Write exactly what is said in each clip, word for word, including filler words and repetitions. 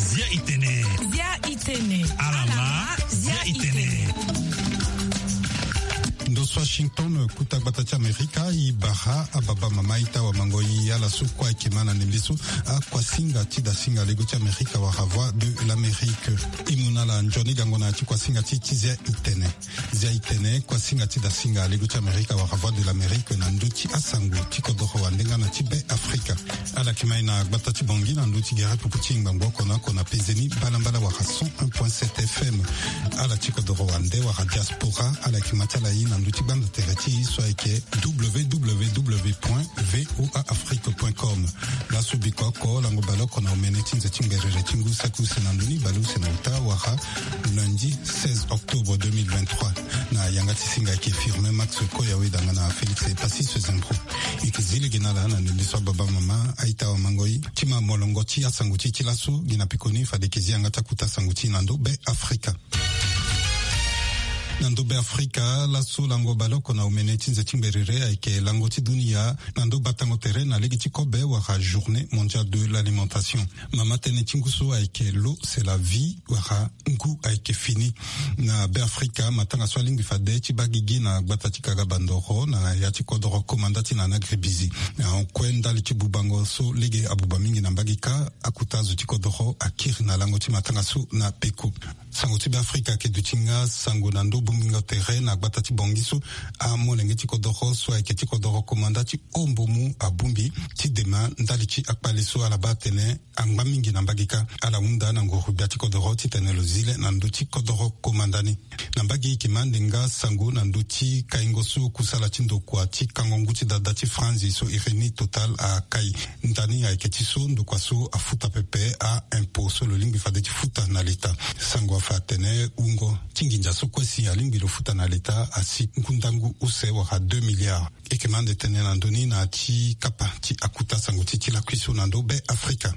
Zia itene. Zia itene. Alama. Zia itene. Ndo so Washington, kota gbata ti Amerika, e bara ababa mama, ita, wamango, e ala so kue ayeke ma na ndembe so, akuasinga ti dasinga lego ti Amerika wala Voix de l'Amérique. E mu na ala nzoni gango na ya ti kuasinga ti e ti Zia itene. Zia itene, kuasinga ti dasinga lego ti Amerika wala Voix de l'Amérique na ndö ti asango ti kodoro wande nga na ti Be Afrika. Ala yeke ma e na gbata ti Bangui na ndö ti gere pupu ti ngbangbo oko na oko na pezeni mbalambala wala cent un point sept F M. Ala ti kodoro wande wala diaspora, ala yeke ma ti ala e na ndö ti gbanda tere ti e so ayeke W W W point V O A Afrique point com. Laso biko oko, lango baleoko na omene ti nze ti ngberere ti ngu saki use na ndoni baleuse na uta wala lundi seize octobre deux mille vingt-trois. Na yanga ti singa ayeke Firmin Max Koya, weda nga na Félix Epassis Zembro. E yeke zi lege na ala na ndembe so ababa mama, aita, wamango, e ti ma molongo ti asango ti e ti laso. Gi na pekoni fade e yeke zi yanga ti akota sango ti e na ndö Be Afrika. Na ndö Be Afrika, laso lango baleoko na omene ti nze ti ngberere ayeke lango ti dunia na ndö batango tere na lege ti kobe wala Journée mondiale de l'alimentation. Mama tënë ti ngu so ayeke l'eau c'est la vie wala ngu ayeke fini. Na Be Afrika, matanga so alingbi fade ti baa gigi na gbata ti Kaga Bandoro na ya ti kodoro Komanda ti Nana Gribizi. Na hon kue ndali ti bubango so lege abuba mingi na mbage kâ, akota zo ti kodoro akiri na lango ti matanga so na peko. Sango ti Be Afrika ayeke duti nga sango na ndö bongbingo tere na gbata ti Bangui so amolenge ti kodoro so ayeke ti kodoro Komanda ti Ombomu abongbi ti dema ndali ti akpale so ala baa atene angba mingi na mbage kâ. Ala hunda na nguru gbia ti kodoro titene lo zi le na ndö ti kodoro Komanda ni. Na mbage e yeke ma ande nga sango na ndö ti kaingo so kusala ti ndokua ti kango ngu ti dada ti Franzi so iri ni Total akai. Ndani ayeke ti so ndokua so afuta pepe a-impôt so lo lingbi fade ti futa na leta. Sango afa atene wungo ti nginza so kue si alingbi lo futa na leta asi ngu ndangu use wala deux milliards. E yeke ma ande tene na ndö ni na ya ti kapa ti akota sango ti e ti lakui so na ndö Be Afrika.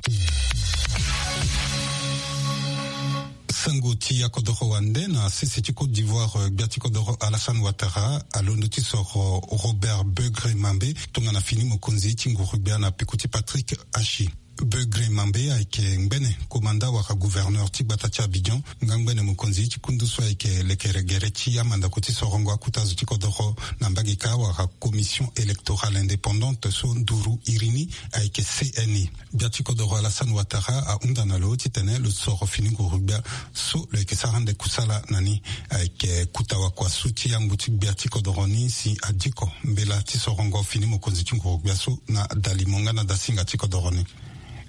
Sango ti akodoro wande na sese ti Côte d'Ivoire, gbia ti kodoro Alassane Ouattara alondo ti soro Robert Beugre Mambe tongana fini mokonzi ti nguru gbia na peko ti Patrick Achi. Beugre Mambe ayeke ngbene komanda wala gouverneur ti gbata ti Abidjan, nga ngbene mokonzi ti kundu so ayeke lekere gere ti amandako ti sorongo akota zo ti kodoro na mbage kâ wala Commission électorale indépendante so nduru iri ni ayeke C N I. Gbia ti kodoro Alassane Ouattara ahunda na lo titene lo soro fini nguru gbia so lo yeke sara ande kusala na ni. Ayeke kota wakuasu ti yangbu ti gbia ti kodoro ni si adiko mbela ti sorongo fini mokonzi ti nguru gbia so na dalimo nga na dasinga ti kodoro ni.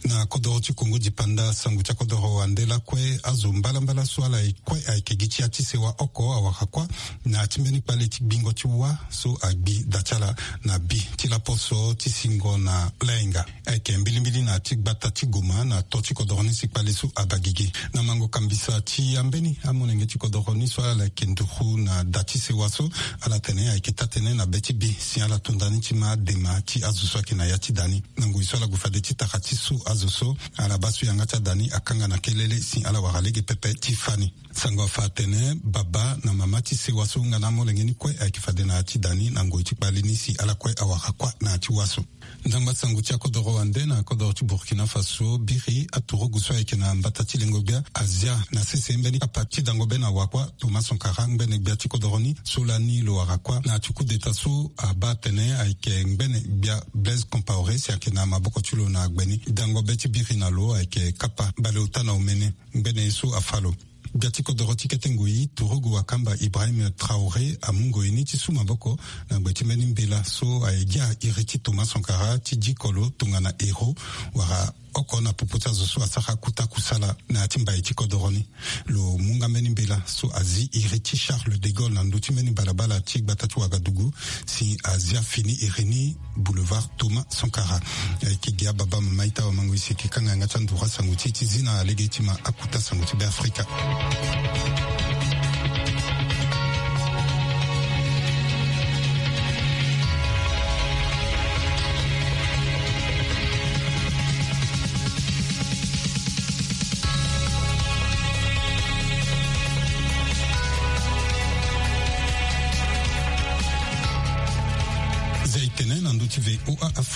Na kodoro ti Kongo dipanda, sango ti akodoro wande lakue, azo mbalambala so ala kue ayeke gi ti ya ti sewa oko awara kuâ na ya ti mbeni kpale ti gbingo ti wâ so agbi da ti ala na bi ti laposo ti singo na lainga. Ayeke mbilimbili na ya ti gbata ti Goma na to ti kodoro ni si kpale so abaa gigi. Na mango kambisa ti ambeni amolenge ti kodoro ni so ala yeke nduru na da ti sewa so, ala tene ayeke taa-tënë na be ti bi si ala to nda ni ti ma dema ti azo so ayeke na ya ti da ni. Na ngoi so ala gue fade ti tara ti so azo so, ala baa so yanga ti ada ni akanga na kelele si ala wara lege pepe ti fâ ni. Sango afa atene baba na mama ti sewa so nga na amolenge ni kue ayeke fade na ya ti da ni na ngoi ti kpale ni si ala kue awara kuâ na ya ti wâ so. Ndangba sango ti akodoro wande na kodoro ti Burkina Faso, biri aturugu so ayeke na mbata ti lengo gbia azia na sese mbeni kapa ti dango be na wa kuâ Thomas Sankara, ngbene gbia ti kodoro ni, so lani lo wara kuâ na ya ti coup d'État so abaa atene ayeke ngbene gbia Blaise Compaoré si ayeke na maboko ti lo na gbe ni. Dango be ti biri na lo ayeke kapa baleota na omene, ngbene ye so afâ lo. Gbia ti kodoro ti kete ngoi, turugu wakamba Ibrahim Traoré amu ngoi ni ti su maboko na gbe ti mbeni mbela so aye gi iri ti Thomas Sankara ti diko lo tongana héros, wala oko na popo ti azo so asara kota kusala na ya ti mbai ti kodoro ni. Lo mu nga mbeni mbela so azi iri ti Charles de Gaulle na ndö ti mbeni balabala ti gbata ti Ouagadougou si azia fini iri ni Boulevard Thomas Sankara. Ayeke gi ababa, mama, ita, wamango, e si e yeke kanga yanga ti anduru asango ti e ti zi na lege ti ma akota sango ti Be Afrika.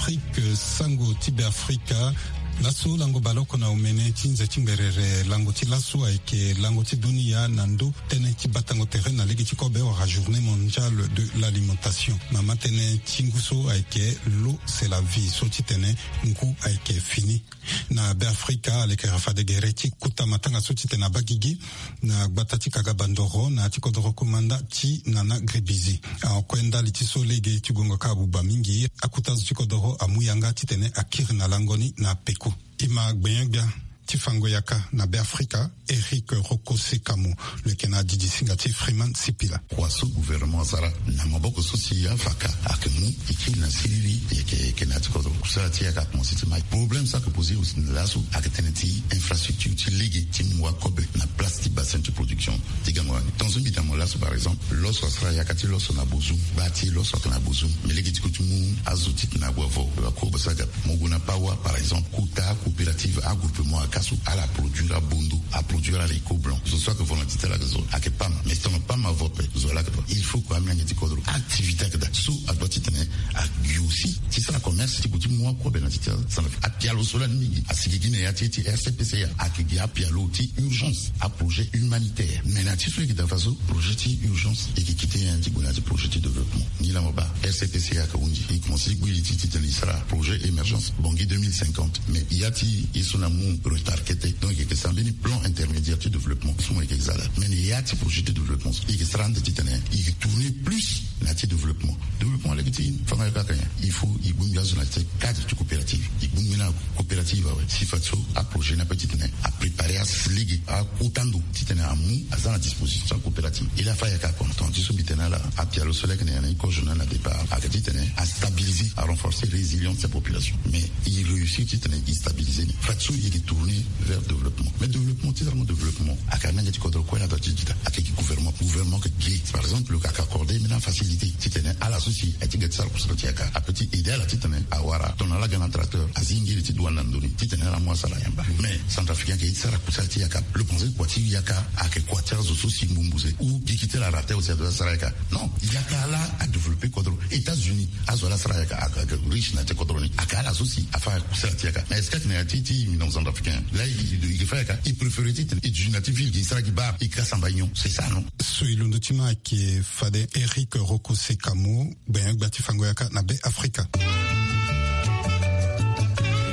Afrique, sango ti Beafrika. Laso lango baleoko na omene ti nze ti ngberere lango ti laso ayeke lango ti dunia na ndö tënë ti batango tere na lege ti kobe wala journée mondiale de l'alimentation. Mama tënë ti ngu so ayeke l'eau c'est la vie, so ti tene ngu ayeke fini. Na Beafrika alekera fade gere ti kuta matanga so ti tene abaa gigi na gbata ti Kaga Bandoro na ya ti kodoro komanda ti Nana Gribizi. Ahon kue ndali ti so lege ti gongo kâ abuba mingi, akuta azo ti kodoro amu yanga ti tene akiri na lango ni na peko. E ma gbenyo-gbia ti fango yaka na Beafrika, Eric Roko Sekamo, lo yeke na didi singa ti Freeman Sipila. Kua so gouvernement asara na maboko so si afa ka ayeke mu e kiri na siriri, e yeke, e yeke na ya ti kodro. Kusala ti e ayeke akomanse ti mai. Problème so ayeke posé aussi na laso ayeke tënë ti infrastructure ti lege ti mu wakobe na place ti bassin ti production ti gango wani. Tongaso mbi da mo laso, par exemple, loso asara yaka ti loso na Bozoum, gba ti loso ayeke na Bozoum. Mais lege ti ko ti mu azo ti tene ague avo, akobe so aga. Mo gue na Pawa, par exemple, kota coopérative, agroupement ayaka so ala produire abondo, aproduire haricot blanc. Zo so ayeke vo na ti tene ala yeke zo, ayeke pam. Mais si tongana pam avo ape, zo laa ayeke pam. Il faut que amiange ti kodro activité ayeke daa so adoit ti tene ague aussi ti sara commerce ti gue ti mu wakobe na ti tene. Apialo so lani mingi asigi gi na ya ti, ti R C P C A, ayeke gi apialo ti urgence, aprojet humanitaire. Mais na ti so e yeke daa faso, projet ti urgence e yeke kite nyen ti gue na ya ti projet ti développement. Ni laa mo baa R C P C A ayeke hunzi, e komanse ti gbu li ti, ti tene e sara projet émergence Bangui deux mille cinquante. Mais ya ti e so na mu retard kete. Donc e yeke sara mbeni plan intermédiaire ti développement so mo yeke za laa. Mais na ya ti projet ti développement so e yeke sara ande ti tene e yeke tourner plus na ya ti développement. Développement lege ti fango yaka kaka nyen? Il faut e bongbi azo na ya ti cadre ti coopérative. E bongbi na coopérative awe si fadeso aprojet ni ape ti tene apréparer, alege akota ndo ti tene amu aza na disposition ti acoopérative. E laa fâ ayaka kua. Tongana ti so mbi tene ala, apialo so laa ayeke na ya na e kozo na départ ayeke ti tene astabiliser, arenforcer résilience ti apopulation. Mais e réussir ti tene e stabiliser ni. Fadeso e yeke tourner vers développement. Mais développement, ti tara mo développement, ayeke amiange ti kodro kue laa adoit ti di daa. Ayeke gi gouvernement. Gouvernement ayeke ge. Par exemple, lo yeke accordé mbeni afacilité ti tene ala so si aye ti ga ti sara kusala ti yaka, apeut ti aider ala ti tene awara. Tongana ala ga na tracteur, azi ngiri ti douane na ndö ni ti tene ala mu asara ayamba. Mais centrafricain ayeke ye ti sara kusala ti yaka. Lo pense kua ti yaka ayeke kua ti azo so si mbumbu se ou gigi ti ala raté aussi adoit ti sara yaka. Non, yaka laa adéveloppé kodro. États-Unis, azo laa asara yaka, ayeke, ayeke riche na ya ti kodro ni. Ayeke ala so si afâ kusala ti yaka. Mais est-ce que ayeke na ya ti, ti mbi na centrafricain laa e, e, e, e fa yaka, e préféré ti tene e duti na ya ti ville, e sara gi bar, e kiri asamba union. C'est ça, non? So e londo ti ma ayeke fade Eric Roko Sekamo, gbenyo-gbia ti fango yaka na Beafrika. E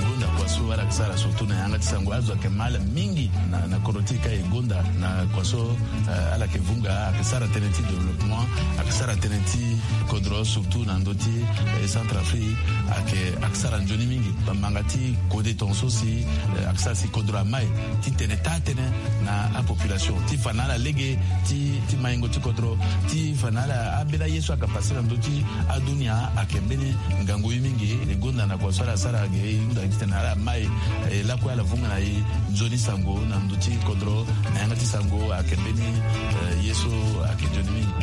gonda kua so ala yeke sara surtout na yanga ti sango, azo ayeke mal mingi na, na kodro ti e ka e gonda na kua so, eh, ala yeke vunga, ayeke sara tënë ti développement, ayeke sara tënë ti kodro, surtout na ndö ti, eh, Centrafrique, ayeke, ayeke sara nzoni mingi. Bamanga ti kode tongaso si, eh, ayeke sara si kodro amai ti tene taa tënë na apopulation ti fa na ala lege ti, ti maingo ti kodro, ti fa na ala ambeni aye so ayeke passé na ndö ti adunia. Ayeke mbeni ngangu ye mingi. E gonda na kua so ala sara ge, e hunda ti tene ala mai, eh, lakue ala vunga na e nzoni sango na ndö ti kodro. Na yanga ti sango ayeke mbeni, eh, ye so ayeke nzoni mingi.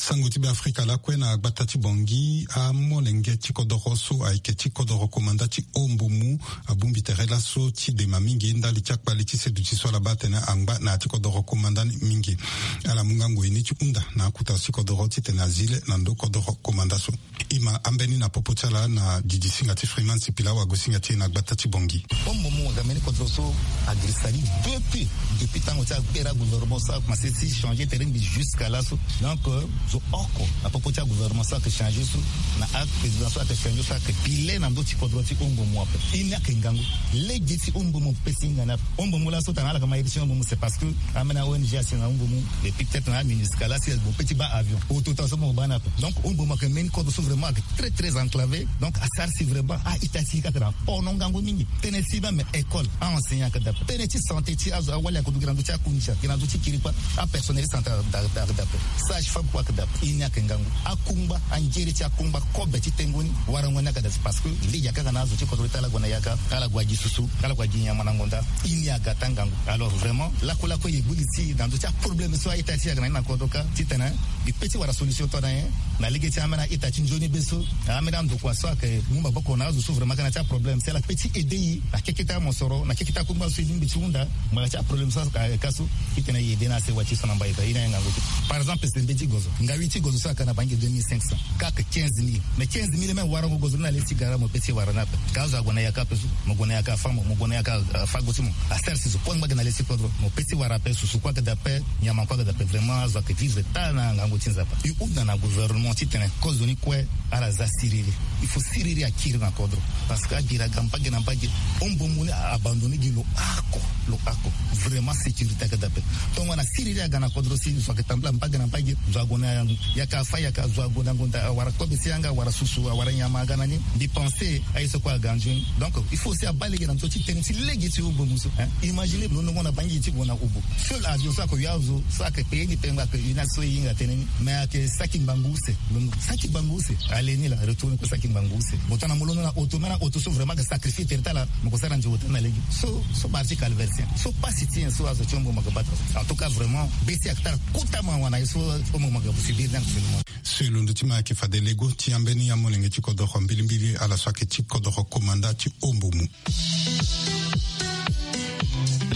Sango ti Beafrika lakue na gbata ti Bangui, amolenge ti kodoro so ayeke ti kodoro komanda ti Ombomu abongbi tere laso ti dema mingi ndali ti akpali ti seduti so ala baa atene angba na ya ti kodoro komanda ni mingi. Ala mu nga ngoi ni ti hunda na akuta ti kodoro titene azi le na ndo kodoro komanda so. E ma ambeni na popo ti ala na didi singa ti Freeman Sipila, wago singa ti e na gbata ti Bangui. Ombomu ayeke mbeni kodoro so agiri sali depuis, depuis tango ti akpera gouvernement so akomanse ti changer tere mbi jusqu'à laso. Donc, euh, zo oko na popo ti agouvernement so ayeke changer so, na aprésident so ayeke changer so ayeke pile na ndö ti kodro ti Ombomu ape. E ni ayeke ngangu. Lege ti Ombomu ape si hinga ni ape. Ombomu laso tongana ala yeke ma iri ti Ombomu, c'est parce que ambeni a-O N G asi na Ombomu, et puis peut-être na aMINUSCA laa si mo peut ti baa avion. Autant so mo baa ni ape. Donc Ombomu ayeke mbeni kodro so vraiment ayeke très, très enclavé. Donc asara si vraiment a-ita ti e kâ ayeke na pono ngangu mingi. Tënë ti baa me école, a-enseignant ayeke daa ape. Tënë ti santé ti azo awali ayeke duti na ndö ti akunzi, ayeke na ndö ti kirikpa, apersonnel ti santé ayeke daa ape. Sage-femme kue ayeke daa ape. E ni ayeke ngangu. Akungba, anzere ti akungba kobe ti tengo ni, warango ni ayeke daa ape. Parce que lege ayeke kaka na azo ti kodro ti ala gue na yaka, ala gue gi susu, ala gue gi nyama na ngonda. E ni aga taa ngangu. Alors vraiment lakue lakue e gbu li ti e na ndö ti aproblème so a-ita ti e ayeke na ni na kodro kâ titene E pe ti wara solution tongana nyen? Na lege ti ambeni a-ita ti nzoni be so, ambeni andokua so ayeke mu maboko na azo so vraiment aga na ya ti aproblème si ala pe ti aider e na keke ti amosoro, na keke ti akungba so e lingbi ti hunda. Ngbanga ti aproblème so ayeke ka so, titene e aider na asewa ti e so na mbai ka, e na e ngangu ti. Par exemple, sembe ti gozo, ngawi ti gozo so ayeke na bangi deux mille cinq cents, ka ayeke quinze mille. Mais quinze mille même warango gozo ni na le ti gara mo pe ti wara ni ape. Ka azo ague na yaka ape so, mo gue na yaka afa mo, mo gue na yaka afa go ti mo. Asara si zo kue angba ge na le ti kodro, mo pe ti wara ape, susu kue ayeke daa ape, nyama kue ayeke daa ape. Vraiment azo ayeke vivre tara na ngangu ti Nzapa. E hunda na gouvernement titene kozoni kue ala za siriri. Il faut siriri akiri na kodro. Parce que agiri aga mbage na mbage. Hombo mu ni a abandonné gi lo oko, lo oko. Vraiment sécurité ayeke daa ape. Tongana siriri aga na kodro si zo ayeke tambula mbage na mbage, zo ague na yaka afa yaka, zo ague na ngonda, awara kobe ti yanga, awara susu, awara nyama aga na ni. Mbi pensé aye so kue aga nzoni. Donc il faut aussi abaa lege na ndö ti tënë ti lege ti hombo mu so, hein. Imagine lo nongo na bangi ti gue na hobo. Seul avion so ayeke yo azo so ayeke payer ni pe ngbanga ayeke yo ni so e hinga tënë ni. Mais ayeke saki ngbanga use. Lo saki ngbanga use. Aller ni laa, retour ni kue saki ngbanga use. Mo tongana mo londo na auto, même na auto so vraiment ayeke sacrifier tere ti ala, mo ko sara nze hotel na lege. So, so parti calvaire ti nyen? So pasi ti nyen so azo ti hombo mo yeke baa tara so? En tout cas vraiment be ti ayeke tara kota mawa na ye so hombo mo yeke subir ni actuellement. So e londo ti ma ayeke fade lego ti ambeni amolenge ti kodoro mbilimbili ala so ayeke ti kodoro komanda ti hombo mu.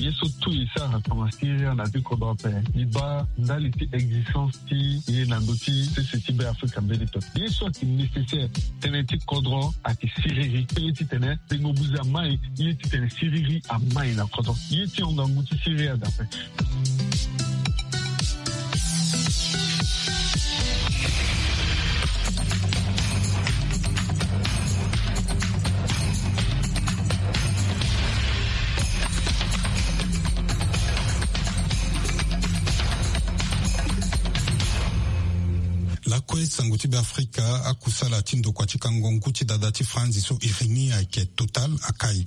Ye so tout e sara tongana siriri na ya ti kodro ape, e baa ndali ti existence ti e na ndö ti sese ti Be Afrika mbeni pepe. Ye so ayeke nécessaire, tënë ti kodro ayeke siriri. Ye titene tengo buze amai, ye titene siriri amai na kodro. Ye ti hon ngangu ti siriri aga ape. Lakue sango ti Be Afrika, akusala ti ndokua ti kango ngu ti dada ti Franzi so iri ni ayeke Total akai.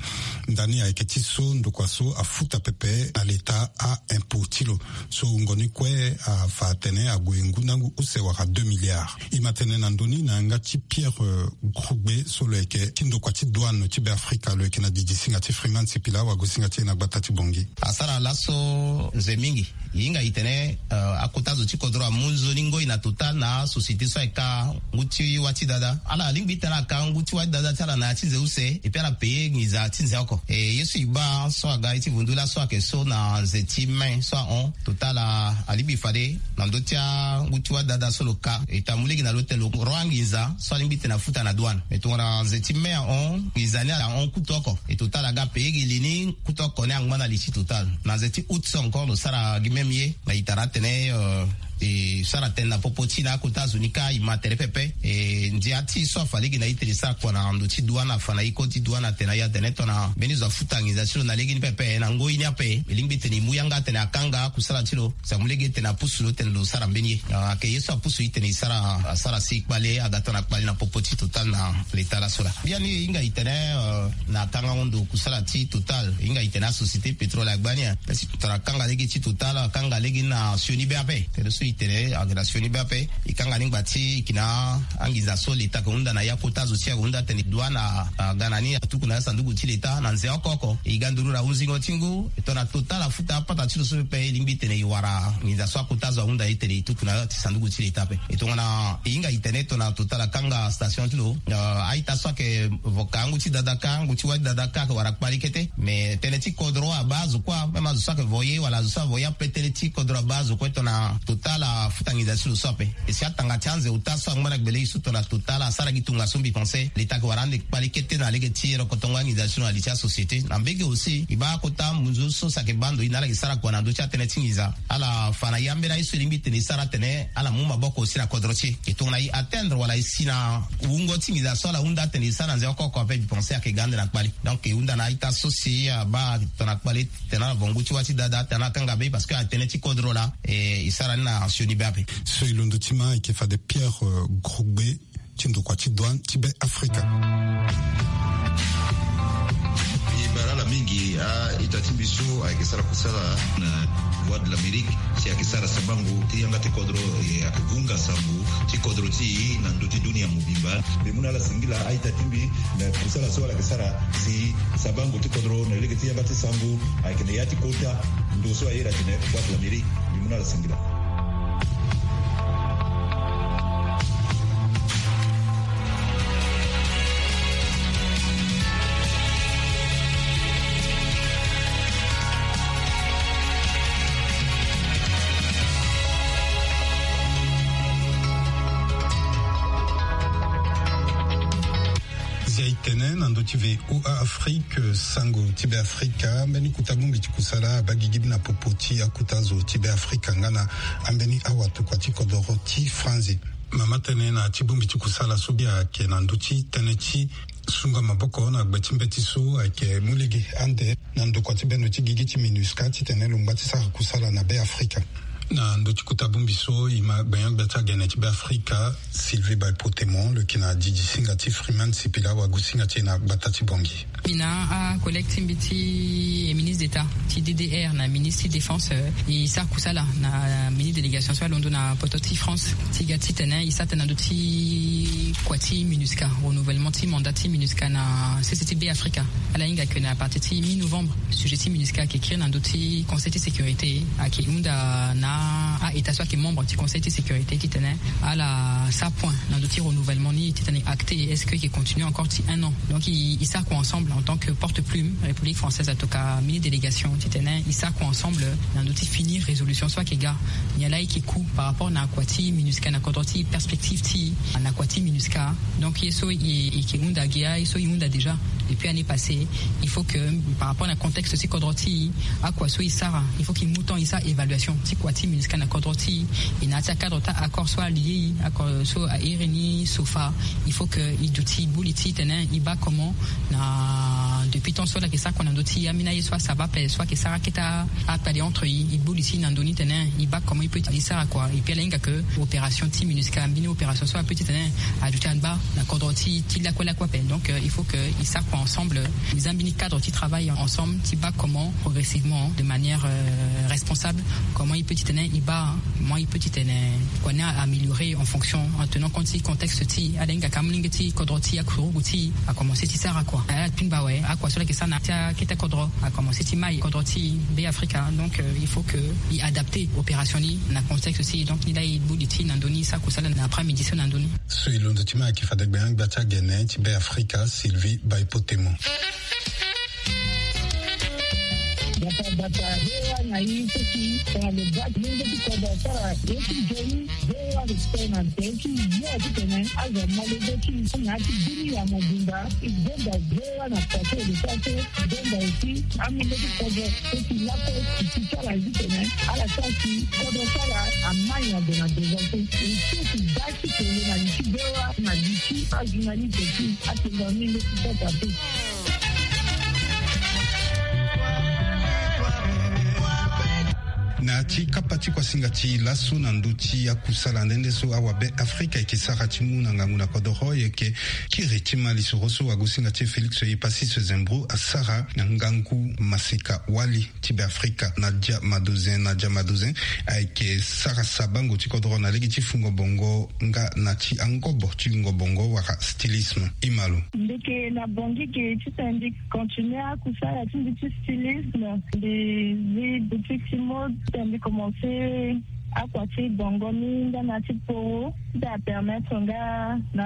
Ndani ayeke ti so ndokua so afuta pepe na leta a-impôt ti lo. So wungo ni kue afa atene ague ngu na ngu use wala deux milliards. E ma tene na ndö ni na yanga ti Pierre, euh, Grugbe so lo yeke ti ndokua ti douane ti Be Afrika, lo yeke na didi singa ti Freeman Sipila, wagosinga ti e na gbata ti Bangui. Asara laso nze mingi. E hinga e tene, euh, akota zo ti kodro amu nzoni ngoi na Total na asociété so ayeke ka ngu ti wâ ti dada. Ala lingbi tene aka ngu ti wâ ti dada ti ala na ya ti nze use, et puis ala payer nginza ti nze oko. E ye so e baa so aga ye ti vundu laso ayeke so na nze ti mai so ahon, Total a, alingbi fade na ndö ti angu ti wâ ti dada so lo ka, e ta mu lege na lo tene lo ro anginza so alingbi tene afuta na douane. Me tongana nze ti mai ahon, nginza ni ala hon kutu oko. E Total aga payer gi li ni kutu oko ni angba na li ti Total. Na nze ti août so encore lo sara gi même ye. Na e tara atene, euh, e sara tënë na popo ti e na akota zo ni kâ, e ma tere pepe. E ndia ti e so afa lege na e tene e sara kua na ndo ti douane, afa na e kode ti douane atene na e atene tongana mbeni zo afuta nginza ti lo na legeni pepe na ngoi ni ape, e lingbi tene e mu yanga atene akanga akusala ti lo. Si amu lege tene apusu lo tene lo sara mbeni ye. Ah, ayeke ye so apusu e tene e sara, asara si kpale aga tongana kpale na popo ti Total na leta laso laa. Biani e hinga e tene, euh, na kangango ndo kusala ti Total, e hinga e tene asociété pétrole agba ni, hein. Tongana akanga lege ti Total, akanga lege ni na sioni be ape. Tene so e tene ayeke na sioni be ape. E kanga ni ngba ti e yeke na anginza so leta ayeke hunda na ya kota zo ti e ayeke hunda atene douane a, aga na ni atuku na ya sanduku ti leta na nze oko oko. E ga nduru na hunzingo ti ngu, e tongana Total afuta apata ti lo so pepe, e lingbi tene e wara nginza so akota zo ahunda e tene e tuku na ya ti sanduku ti leta ape. E tongana e hinga e tene tongana Total akanga station ti lo, euh, a-ita so ayeke vo ka ngu ti dada kâ, ngu ti wâ ti dada kâ ayeke wara kpale kete. Mais tënë ti kodro abaa azo kue, même azo so ayeke voyer wala azo so avoyer ape, tënë ti kodro abaa azo kue tongana Total afuta nginza ti lo so ape. E si atanga ti anze ota so angba na gbele e so tongana Total asara gi tongaso, mbi pense leta ayeke wara ande kpale kete na lege ti rokotongo anginza ti lo na li ti asociété. Na mbege aussi e baa kota munzu so si ayeke baa ndo e na ala yeke sara kua na ndö ti atënë ti nginza. Ala fa na e ambeni aye so e lingbi tene e sara atene ala mu maboko aussi na kodro ti e. E tongana e atteindre wala e si na wungo ti nginza so ala hunda atene e sara na nze oko oko ape, mbi pense ayeke ga ande na kpale. Donc e hunda na a-ita so si abaa tongana kpale tene ala vo ngu ti wâ ti dada tene ala kanga be parce que atënë ti kodro laa, e, e sara ni na sioni be ape. So e londo ti ma ayeke fade Pierre, euh, Grugbe ti ndokua ti douane ti Be Afrika. Mbi bara ala mingi. A-ita ti mbi so ayeke sara kusala na Voix de l'Amérique, si ayeke sara sabango ti yanga ti kodro, e, ayeke hunga sango ti kodro ti e na ndö ti dunia mobimba. Mbi mu na ala singila a-ita ti mbi na kusala so ala yeke sara si sabango ti kodro na lege ti yanga ti sango ayeke na ya ti kota ndo so a iri atene Voix de l'Amérique. Mbi mu na ala singila. Na ndö ti V O A Afrique, sango ti Beafrika, mbeni kota bongbi ti kusala abaa gigi na popo ti akota zo ti Beafrika nga na ambeni awatokua ti kodoro ti Franzi. Mama tene na ti bongbi ti kusala so bia ayeke na ndö ti tënë ti sunga maboko na gbe ti mbeti so ayeke mu lege ande na ndokua ti bendo ti gigi ti MINUSCA titene lo ngba ti sara kusala na Beafrika. Na ndö ti kota bongbi so, e ma gbenyo-gbia ti agene ti Beafrika, Sylvie Baïpo-Temon, lo yeke na didi singa ti Freeman Sipila wagu singa ti e na gbata ti Bangui. Mbi na acollègue ti mbi ti e ministre d'État ti D D R na ministre ti défense, e sara kusala na mini délégation so alondo na poto ti France ti ga titene e sara tënë na ndö ti kua ti MINUSCA, renouvellement ti mandat ti MINUSCA na sese ti Beafrika. Ala hinga ke na partir ti mi-novembre, sujet ti MINUSCA ayeke kiri na ndö ti Conseil ti sécurité, ayeke hunda na a-État so ayeke membre ti Conseil ti sécurité titene ala sara point na ndö ti renouvellement ni titene acté, est-ce que e yeke continuer encore ti un an? Donc e, e sara kua ensemble en tant que porte-plume République française, en tout cas mini délégation titene e sara kua ensemble na ndö ti finir résolution so ayeke ga. Nyen laa e yeke ku par rapport na kua ti MINUSCA na kodro ti e, perspective ti e na kua ti MINUSCA. Donc ye so e, e yeke hunda gi aye so e hunda déjà depuis année passée. Il faut que, par rapport na contexte ti kodro ti e, akua so e sara, il faut que e mu temps e sara évaluation ti kua ti MINUSCA na kodro ti e. E na ya ti acadre ti accord so alie e, accord so airi ni SOFA. Il faut que e duti e gbu li ti tene e baa comment na depuis temps so ala yeke sara kua na ndö ti ambeni aye so asara ape so ayeke sara akete akpale entre e, e gbu li ti e na ndö ni tene e baa comment e peut e sara kua. Et puis ala hinga ke opération ti MINUSCA, mbeni opération so apeut titene aduti angba na kodro ti, ti lakue lakue ape. Donc euh, il faut que e sara kua ensemble, e za mbeni cadre ti travail ensemble ti baa comment progressivement, de manière euh, responsable, comment e peut titene e baa, comment e peut titene kua ni a améliorer en fonction, en tenant compte ti contexte ti e. Ala hinga ka molenge ti kodro ti e, akurugu ti e akomense ti sara kua. Ala pingba awe, akua so ala yeke sara na ya ti akete kodro akomense ti mai kodro ti e, Beafrika. Donc euh, il faut que e adapter opération ni na contexte ti e. Donc ni laa e gbu li ti e na ndö ni, e sara kusala na après-midi so na ndö ni. So e londo ti mai ayeke fade gbenyo-gbia ti agene ti Beafrika, Sylvie Baïpo-Temon. Bata bata, V O A na e so si tongana lo baa ti lenge ti kodro asara ye ti nzoni, V O A respect na nze ti yo titene azo amolenge ti e na ya ti bini ya mobimba. E gonda V O A na kua so e lo sara so, e gonda aussi amolenge ti kodro so si lakue e si ti sara titene ala sara si kodro ti ala amai na ndo na devant so. E so si baa ti kele na li ti V O A na li ti ajournaliste ti atongana ni nde ti sota so. Na ti kapa ti kuasinga ti laso na ndö ti akusala nde nde so awabe Afrika ayeke sara ti mu na ngangu na kodoro, e yeke kiri ti ma lisoro so wagosinga ti e Félix Epasis Zembro asara na ngangu maseka wali ti Beafrika, Nadia Madozin. Nadia Madozin ayeke sara sabango ti kodoro na lege ti fungo bongo nga na ti angobo ti wungo bongo wala stylisme. E ma lo. Mbi yeke na Bangui ge titene mbi continuer akusala ti mbi ti stylisme. Mbi zi boutique ti mode titene mbi commencer akua ti bongo ni nga na ti poro ti apermettre nga na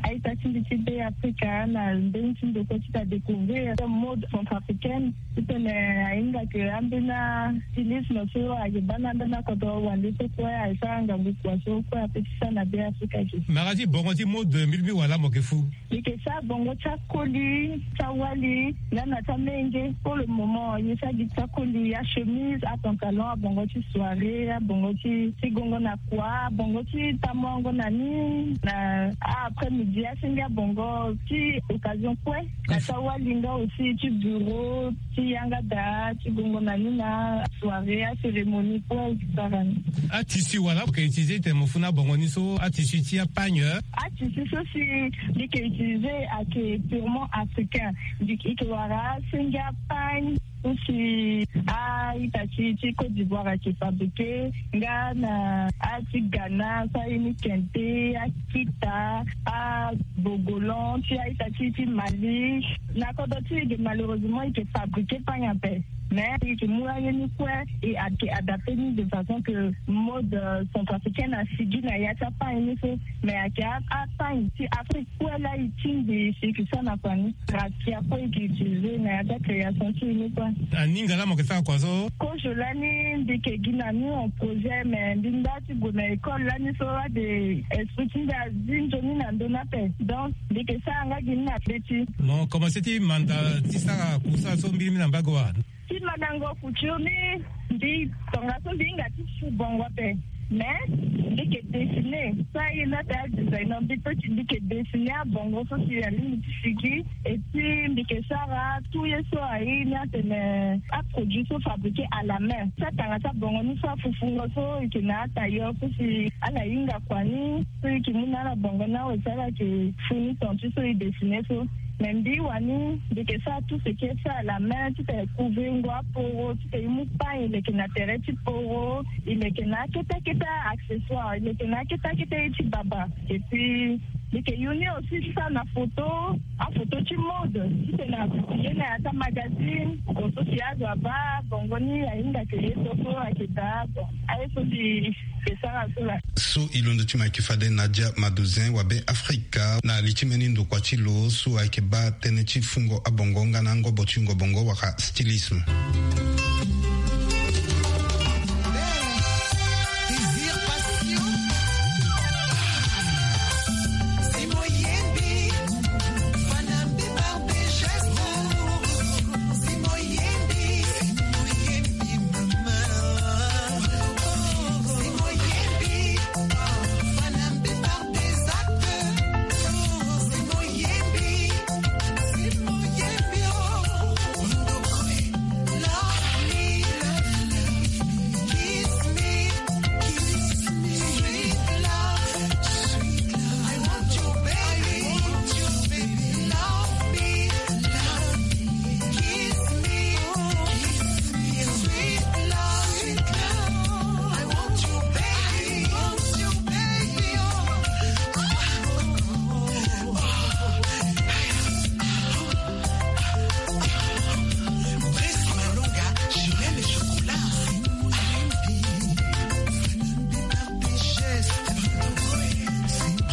a-ita ti mbi ti Beafrika na mbeni ti ndokua ti adécouvrir mode centrafricaine. Titene ahinga ke ambeni astylisme so ayeke baa na ambeni akodro wande so kue asara ngangu kua so kue apeut ti sara na Beafrika ge. Mara ti bongo ti mode mbi lingbi wala mo yeke fu? Mbi yeke sara bongo ti akoli, ti awali nga na ti amenge. Pour le moment mbi sara gi ti akoli, achemise, apantalon, abongo ti soirée, abongo ti, ti gongo na kua, abongo ti tamuango na ni na a-après-midi, asenge abongo ti occasion kue. Na ti awali nga aussi ti bureau, ti yanga daa, ti gongo na ni na soirée, acérémonie kue, et cetera. Atissu wala mo yeke utiliser titene mo fu na bongo ni so, atissu ti apagne? Atissu so si mbi yeke utiliser ayeke purement africain. Mbi yeke wara asenge apagne so si a-ita ti, ti Côte d'Ivoire ayeke fabriquer, nga na a-ti Ghana so aye ni kente, akita, abogolan ti a-ita ti, ti Mali. Na kodro ti e ge malheureusement e yeke fabriquer pagne ape. Mais e yeke mu aye ni kue, e ayeke adapte ni de façon que mode centrafricaine asigi na ya ti apagne ni so. Mais ayeke apagne ti Afrique kue laa e tingbi si e yeke sara na kua ni. Rakia kue e yeke utilize na ya ti acréation ti e ni kue. Aninga laa mo yeke sara kua so? Kozo lani mbi yeke gi na ni en projet, mais mbi nda ti gue na école lani so ade esprit ti nda azi nzoni na ndö ni ape. Donc mbi yeke sara nga gi ni na be ti. Mo commence ti manda ti sara kusa so mbirimbiri na mbage wa? Ti mandango couture ni, mbi tongaso mbi hinga ti su bongo ape. Mais mbi yeke dessiner so aye ni ape, adesigner. Mbi pe ti mbi yeke dessiner abongo so si alingbi ti sigi. Et puis mbi yeke sara tout ye so aye ni atene aproduit so fabriqué à la main. Ti atanga ti abongo ni so afufungo so e yeke na atailleur so si ala hinga kua ni so e yeke mu na ala bongo ni awe si ala yeke fu ni ton ti so e dessiner so. Mais mbi wani mbi yeke sara tout ce qui est fait à la main, ti tene couvrir ngo aporo, ti tene e mu pagne e leke na tere ti poro, e leke na akete akete accessoire, e leke na akete akete ye ti baba. Et puis mbi yeke yu ni aussi ti sara na photo, aphoto ti mode, ti tene a publier na ya ti amagazine. Bon, so si azo abaa bongo ni ahinga ke ye so so ayeke daa. Bon, aye so mbi yeke sara so laa. So e londo ti mo ayeke fade Nadia Madozin, wabe Afrika, na li ti mbeni ndokua ti lo so ayeke baa tënë ti fungo abongo nga na angobo ti wungo bongo wala stylisme.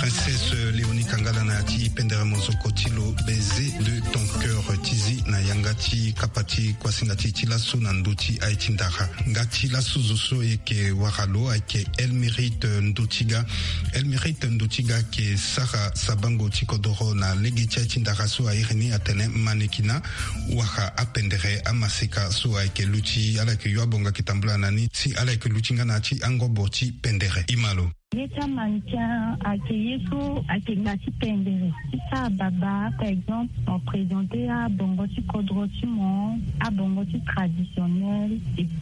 Princesse Léonie Kangala na ya ti pendere mozoko ti lo, baiser de ton cœur, ti zi na yanga ti kapa ti kuasinga ti e ti laso na ndö ti aye ti ndara. Nga ti laso zo so e yeke wara lo ayeke Elmérite Ndotiga. Elmérite Ndotiga ayeke sara sabango ti kodoro na lege ti aye ti ndara so a iri ni atene mannequinat, wala apendere amaseka so ayeke luti, ala yeke yo abonga ayeke tambula na ni si ala yeke luti nga na ya ti angobo ti pendere. E ma lo. Ye ti amannequin ayeke ye so ayeke nda ti pendere ti sara baba, par exemple mo présenter abongo ti kodro ti mo, abongo ti traditionnel.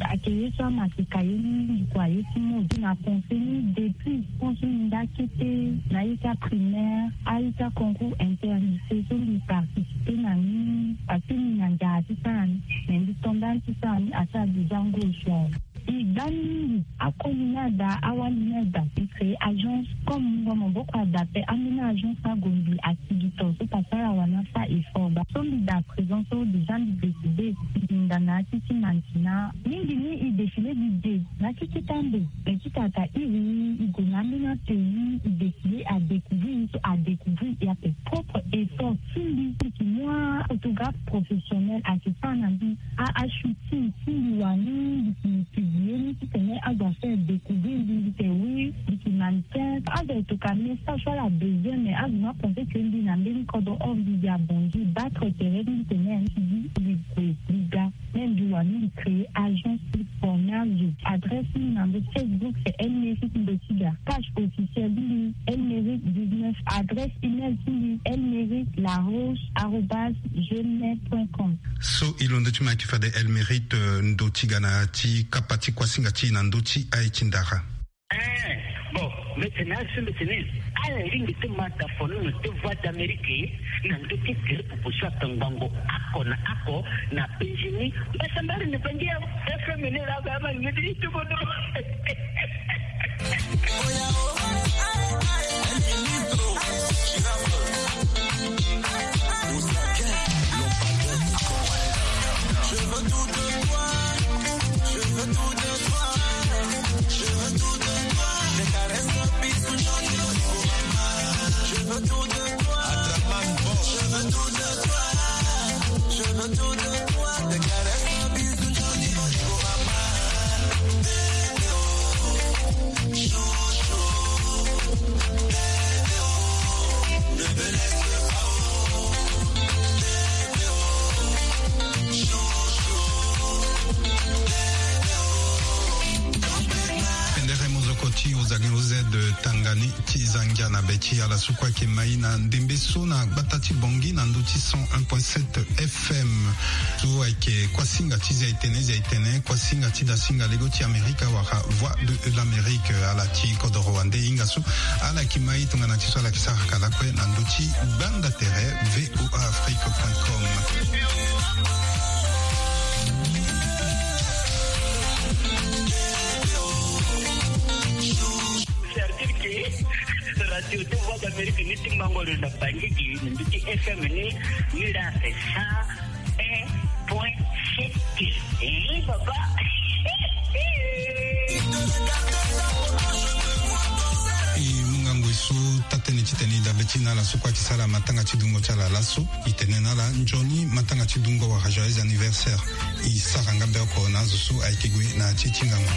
Ayeke ye so amaseka ye ni ndukua ye ti mode. Na pensé ni depuis, pense ni nda kete na ye ti aprimaire, aye ti aconcours interlycée so mbi participer na ni, parce que mbi na nzara ti sara ni. Mais mbi to nda ni ti sara ni asara déjà ngo e sua. E gba ni mingi, akoli ni ada, awali ni ada. E créer agence, comme mungo maboko ada ape, ambeni agence ni ague mbi asigi to so, parce que ala wani asara effort baa. So mbi daa présent so déjà mbi décidé, mbi nda na ya ti ti mannequinat. Mingi ni e défilé gi ge na ya ti keta ndo. Mais ti tata iri ni e gue na ambeni atenue, e défilé, a découvrir ni so a découvrir e ape. Propre effort ti mbi, si mbi yeke mu aphotographe professionnel ayeke sara na mbi a, ashooting, si mbi wani mbi yeke publier ni titene azo afaire découvrir mbi, mbi yeke oui, mbi yeke mannequin. Azo ayeke toka message so ala besoin, mais azo ni apensé que mbi na mbeni kodro, or mbi, mbi abongi battre tere ti mbi titene mbi gue mbi ga. Même mbi wani mbi créer agence ti former azo. Adresse ni na ndo Facebook c'est Elmérite Ndotiga. Page officielle ti mbi Elmérite dix-neuf. Adresse email ti mbi elmérite laroche arobase gmail point com. So e londo ti mo ayeke fade Elmérite, euh, Ndotiga na ya ti kapa ti kuasinga ti e na ndö ti aye ti ndara. Eh, bon, mbi tene azo so mbi tene ala lingbi ti ma da fo ni na ti Voix d'Amérique na ndö ti gere proposition atongbango oko na oko na penzi ni. Mbasambari ni penzi ya F M ni la ba ma ni ti tuko do. Ti ozangi oz tangani ti zangia na be ti ala so kue ayeke mai na ndembe so na gbata ti Bangui na ndö ti cent un point sept F M. So ayeke kuasinga ti zia etene zia etene, kuasinga ti dasinga lego ti Amerika wala Voix de l'Amérique, ala ti kodoro wande hinga so ala yeke mai tongana ti so ala yeke sara ka lakue na ndö ti gbanda tere V O A Afrique point com. Certifié radio de Voix d'Amérique ni ti mango lo na bangi gi ni ti F M ni ni la cent un point sept. Eh, papa. E mu ngangu e so taa-tënë ti tene e dabe ti na ala so kue ayeke sara matanga ti dungo ti ala laso. E tene na ala nzoni matanga ti dungo wala joyeux anniversaire. E sara nga be oko na azo so ayeke gue na ya ti ti ngangu.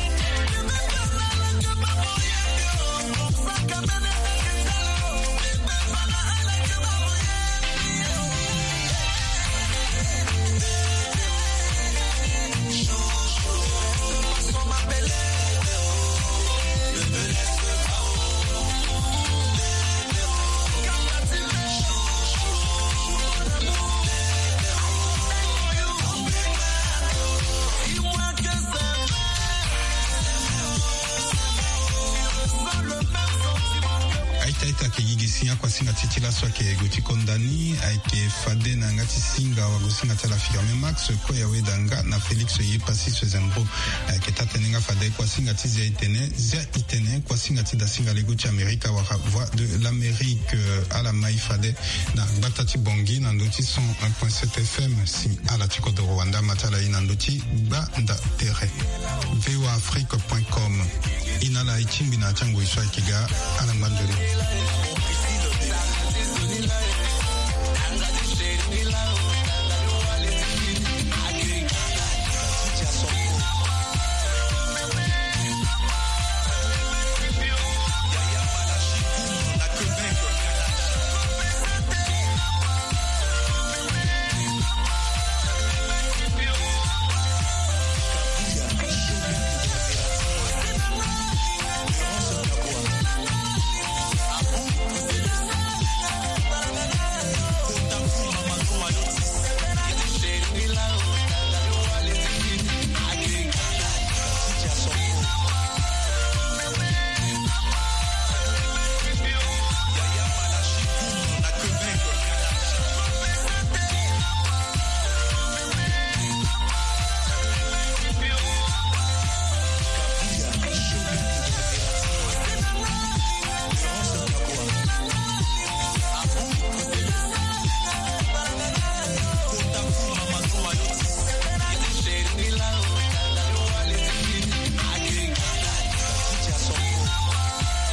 Aita aita ayeke gi gi si akuasinga ti e ti laso ayeke gue ti konda ni, ayeke fade na yanga ti singa wala gue singa ti ala Firmin Max, kue aweda nga na Félix Yepassis Zembro. Ayeke taa-tënë nga fade kuasinga ti zia etene, zia etene, kuasinga ti dasinga lego ti Amerika wala Voix de l'Amérique, euh, ala mai fade na gbata ti Bangui na ndö ti cent un point sept F M, si ala ti kodoro wande ama ti ala ye na ndö ti gbanda tere. V O A Afrique point com. E na ala e tingbi na ya ti angoi so ayeke ga, ala ngba nzoni.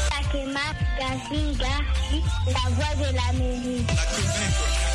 Takema Gasinga, la voix de l'Amérique.